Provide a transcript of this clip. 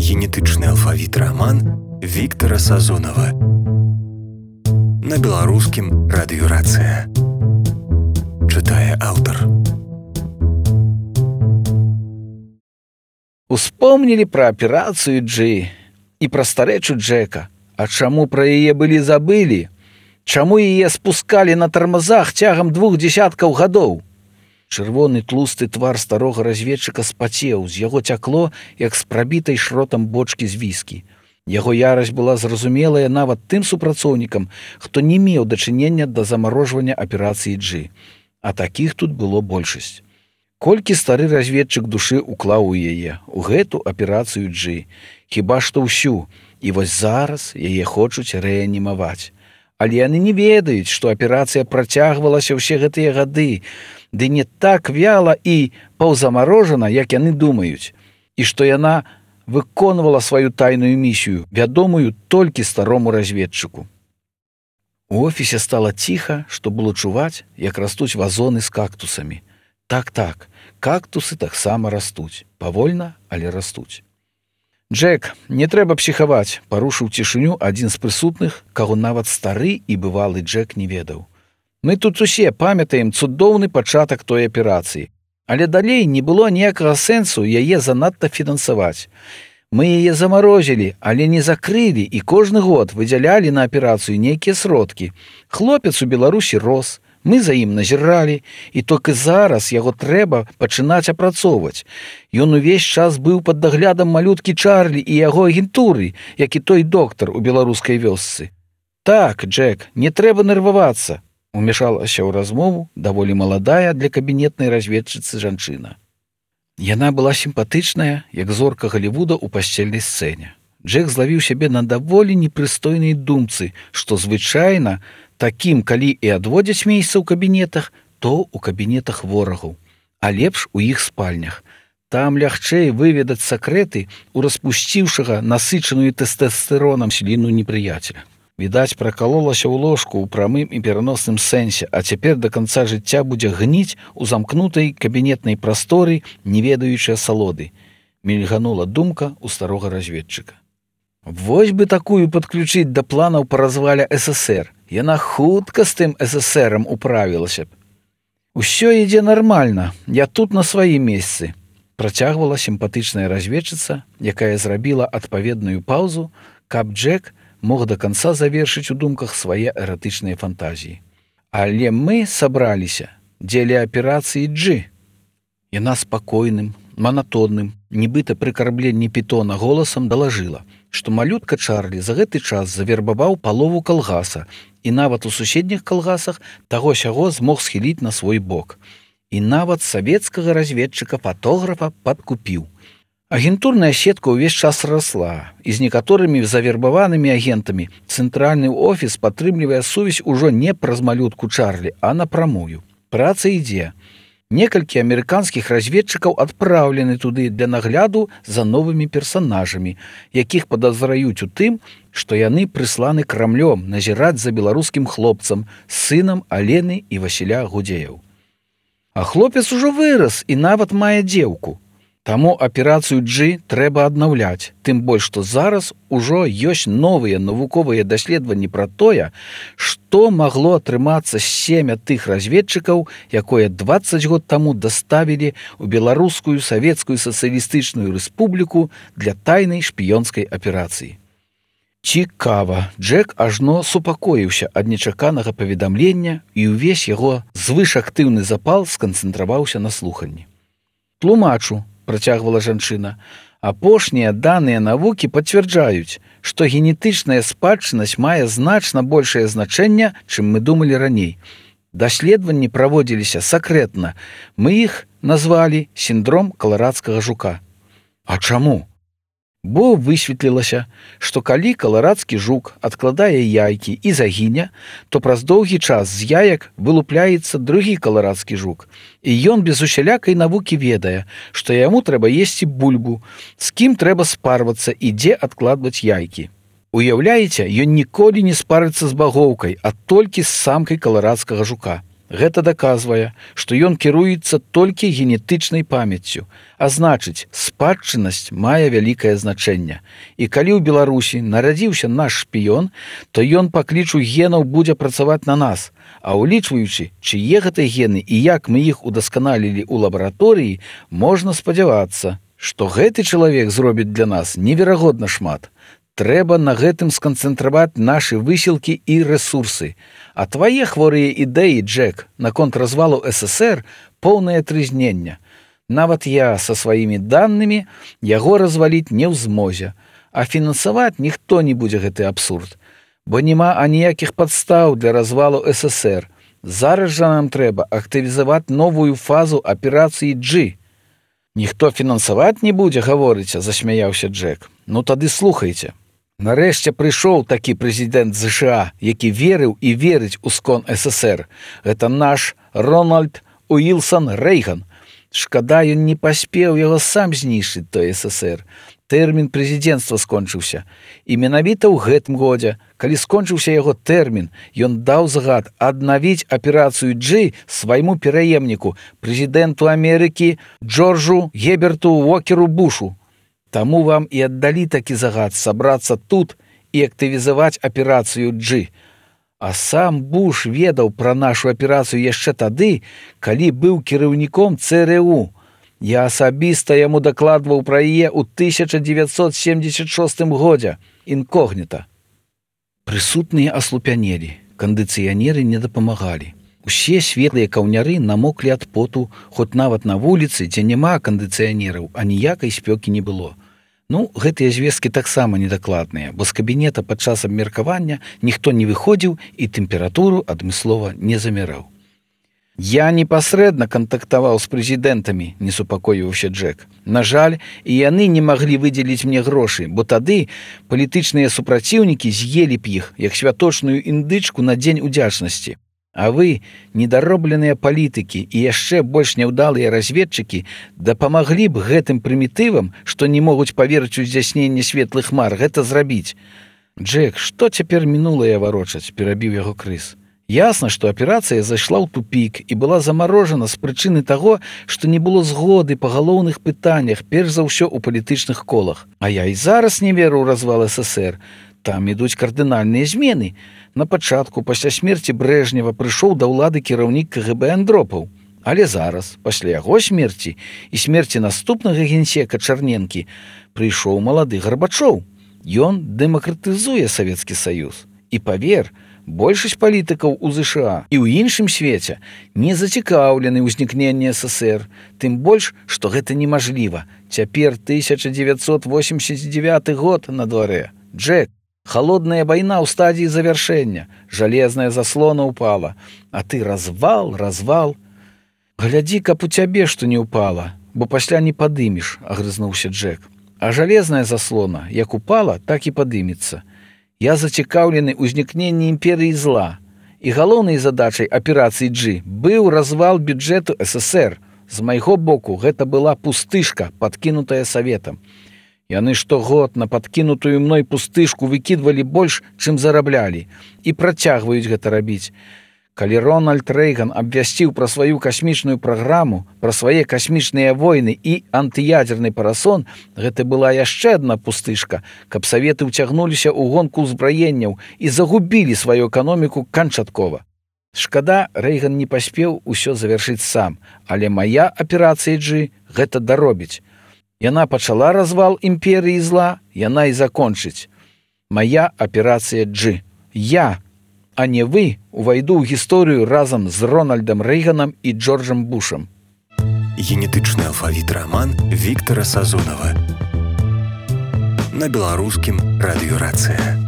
Генетычны алфавіт раман Віктара Сазонава. На беларускім радыёрацыя. Чытае аўтар. Успомнілі пра аперацыю Джы і пра старэчу Джека. А чаму пра яе былі забылі? Чаму яе спускалі на тармазах цягам 2 дзесяткаў гадоў? Чырвоны тлусты твар старога разведчыка спацеў, з яго цякло, як з прабітай шротам бочкі з віскі. Яго ярасць была зразумелая нават тым супрацоўнікам, хто не меў дачынення да замарожвання аперацыі Джы. А такіх тут было большасць. Колькі стары разведчык душы уклаў у яе, у гэту аперацыю Джы. Хіба што ўсю. І вось зараз яе хочуць рэанімаваць. Але яны не ведаюць, што аперацыя працягвалася ўсе гэтыя гады, ды не так вяла і паўзамарожана, як яны думаюць, і што яна выконвала сваю тайную місію, вядомую толькі старому разведчыку. У офісе стала ціха, што было чуваць, як растуць вазоны з кактусамі. Так, кактусы таксама растуць. Павольна, але растуць. «Джек, не трэба псіхаваць», – парушыў цішыню адзін з прысутных, каго нават стары і бывалы Джек не ведаў. «Мы тут усе памятаем цудоўны пачатак той аперацыі, але далей не было ніякага сэнсу яе занадта фінансаваць. Мы яе замарозілі, але не закрылі і кожны год выдзялялі на аперацыю нейкія сродкі. Хлопец у Беларусі рос, мы за ім назіралі, і толькі зараз яго трэба пачынаць апрацоўваць. Ён увесь час быў пад даглядам малюткі Чарлі і яго агентуры, як і той доктар у беларускай вёсцы. Так, Джек, не трэба нервавацца», – умешалася ў размову даволі маладая для кабінетнай разведчыцы жанчына. Яна была сімпатычная, як зорка Галівуда ў пасцельнай сцэне. Джек злавіў сябе на даволі непрыстойнай думцы, што звычайна такім, калі і адводзяць месца ў кабінетах, то ў кабінетах ворагаў, а лепш у іх спальнях. Там лягчэй выведаць сакрэты у распусціўшага насычаную тэстастэронам сліну непрыяцеля. Відаць, пракалолася ў ложку ў прамым і пераносным сэнсе, а цяпер да канца жыцця будзе гніць у замкнутай кабінетнай прасторы, не ведаючай асалоды. Мільганула думка ў старога разведчыка. Вось бы такую падключыць да планаў па развале ССР. Яна хутка з тым ССРам управілася б. «Усё ідзе нармальна, я тут на сваім месцы», – працягвала сімпатычная разведчыца, якая зрабіла адпаведную паўзу, каб Джек мог да канца завершыць у думках свае эратычныя фантазіі. «Але мы сабраліся дзеля аперацыі Джы». Яна спакойным, манатонным, нібыта пры карбленні пітона голасам далажыла, што малютка Чарлі за гэты час завербаваў палову калгаса і нават у суседніх калгасах таго-сяго змог схіліць на свой бок. І нават савецкага разведчыка-фатографа падкупіў. Агентурная сетка ўвесь час расла, і з некаторымі завербаванымі агентамі цэнтральны офіс падтрымлівае сувязь ужо не праз малютку Чарлі, а напрамую. Праца ідзе. Некалькі амерыканскіх разведчыкаў адпраўлены туды для нагляду за новымі персанажамі, якіх падазраюць у тым, што яны прысланы Крамлём назіраць за беларускім хлопцам, сынам Алены і Васіля Гудзеяў. А хлопец ужо вырас і нават мае дзеўку. Таму аперацыю Джы трэба аднаўляць, тым больш, што зараз ужо ёсць новыя навуковыя даследаванні пра тое, што магло атрымацца з семя тых разведчыкаў, якое 20 год таму даставілі ў Беларускую Савецкую Сацыялістычную Рэспубліку для тайнай шпіёнскай аперацыі. Цікава, Джек ажно супакоіўся ад нечаканага паведамлення, і ўвесь яго звышактыўны запал сканцэнтраваўся на слуханні. «Тлумачу», – працягвала жанчына, «апошнія даныя навукі пацвярджаюць, што генетычная спадчыннасць мае значна большае значэнне, чым мы думалі раней. Даследаванні праводзіліся сакрэтна. Мы іх назвалі сіндром каларадскага жука». «А чаму?» Бо высветлілася, што калі каларадскі жук адкладае яйкі і загіне, то праз доўгі час з яек вылупляецца другі каларадскі жук. І ён без усялякай навукі ведае, што яму трэба есці бульбу, з кім трэба спарвацца і дзе адкладваць яйкі. Уяўляеце, ён ніколі не спарыцца з багоўкай, а толькі з самкай каларадскага жука. Гэта даказвае, што ён кіруецца толькі генетычнай памяццю, а значыць, спадчыннасць мае вялікае значэнне. І калі ў Беларусі нарадзіўся наш шпіён, то ён па клічу генаў будзе працаваць на нас. А ўлічваючы, чые гэта гены і як мы іх удасканалілі ў лабараторыі, можна спадзявацца, што гэты чалавек зробіць для нас неверагодна шмат. Трэба на гэтым сканцэнтраваць нашы высілкі і рэсурсы. А твае хворыя ідэі, Джек, наконт развалу ССР поўнае трызнення. Нават я са сваімі данымі яго разваліць не ў змозе, а фінансаваць ніхто не будзе гэты абсурд. Бо няма аніякіх падстаў для развалу ССР. Зараз жа нам трэба актывізаваць новую фазу аперацыі G. Ніхто фінансаваць не будзе, гаворыце, засмяяўся Джек. Ну тады слухайце. Нарэшце прыйшоў такі прэзідэнт ЗША, які верыў і верыць у скон ССР. Гэта наш Рональд Уілсан Рэйган. Шкада, ён не паспеў яго сам знішчыць той ССР. Тэрмін прэзідэнцтва скончыўся. І менавіта ў гэтым годзе, калі скончыўся яго тэрмін, ён даў загад аднавіць аперацыю G свайму пераемніку, прэзідэнту Амерыкі Джорджу Геберту Уокеру Бушу. Таму вам і аддалі такі загад сабрацца тут і актывізаваць аперацыю G. А сам Буш ведаў пра нашу аперацыю яшчэ тады, калі быў кіраўніком ЦРУ. Я асабіста яму дакладваў пра яе ў 1976 годзе, інкогніта. Прысутныя аслупянелі, кандыцыянеры не дапамагалі. Усе светлыя каўняры намоклі ад поту, хоць нават на вуліцы, дзе няма кандыцыянераў, а ніякай спёкі не было. Ну, гэтыя звесткі таксама недакладныя, бо з кабінета падчас абмеркавання ніхто не выходзіў і тэмпературу адмыслова не замераў. Я непасрэдна кантактаваў з прэзідэнтамі, не супакоіўся Джек. На жаль, і яны не маглі выдзеліць мне грошы, бо тады палітычныя супраціўнікі з'елі б іх, як святочную індычку на дзень удзячнасці. А вы, недаробленыя палітыкі і яшчэ больш няўдалыя разведчыкі, дапамаглі б гэтым прымітывам, што не могуць паверыць у здзяйсненне светлых мар, гэта зрабіць. Джек, што цяпер мінулае варочаць, перабіў яго Крыс. Ясна, што аперацыя зайшла ў тупік і была замарожана з прычыны таго, што не было згоды па галоўных пытаннях, перш за ўсё ў палітычных колах. А я і зараз не веру ў развал ССР. Там ідуць кардынальныя змены. На пачатку, пасля смерці Брэжнева, прыйшоў да ўлады кіраўнік КГБ Андропаў. Але зараз, пасля яго смерці і смерці наступнага генсека Чарненкі, прыйшоў малады Гарбачоў. Ён дэмакратызуе Савецкі Саюз. І павер, большасць палітыкаў у ЗША і ў іншым свеце не зацікаўлены ўзнікненне ССР, тым больш, што гэта немажліва. Цяпер 1989 год на дварэ. Джек, холодная вайна ў стадіі завяршэння, жалезная заслона ўпала, а ты развал. Глядзі, каб у цябе што не ўпала, бо пасля не падымеш, агрызнуўся Джек. А жалезная заслона, як упала, так і падымецца. Я зацікаўлены ўзнікненні імперыі зла, і галоўнай задачай аперацыі G быў развал бюджэту ССР. З майго боку гэта была пустышка, падкінутая Саветам. Яны штогод на падкінутую мной пустышку выкідвалі больш, чым зараблялі, і працягваюць гэта рабіць. Калі Рональд Рэйган абвясціў пра сваю касмічную праграму, пра свае касмічныя войны і антыядзерны парасон, гэта была яшчэ адна пустышка, каб Саветы ўцягнуліся ў гонку ўзбраенняў і загубілі сваю эканоміку канчаткова. Шкада, Рэйган не паспеў усё завяршыць сам, але мая аперацыя G гэта даробіць. Яна пачала развал імперыі зла, яна і закончыць. Мая аперацыя G. Я, а не вы, увайду ў гісторыю разам з Рональдам Рэйганам і Джорджам Бушам. Генетычны алфавіт раман Віктара Сазонава. На беларускім радыёрацыя.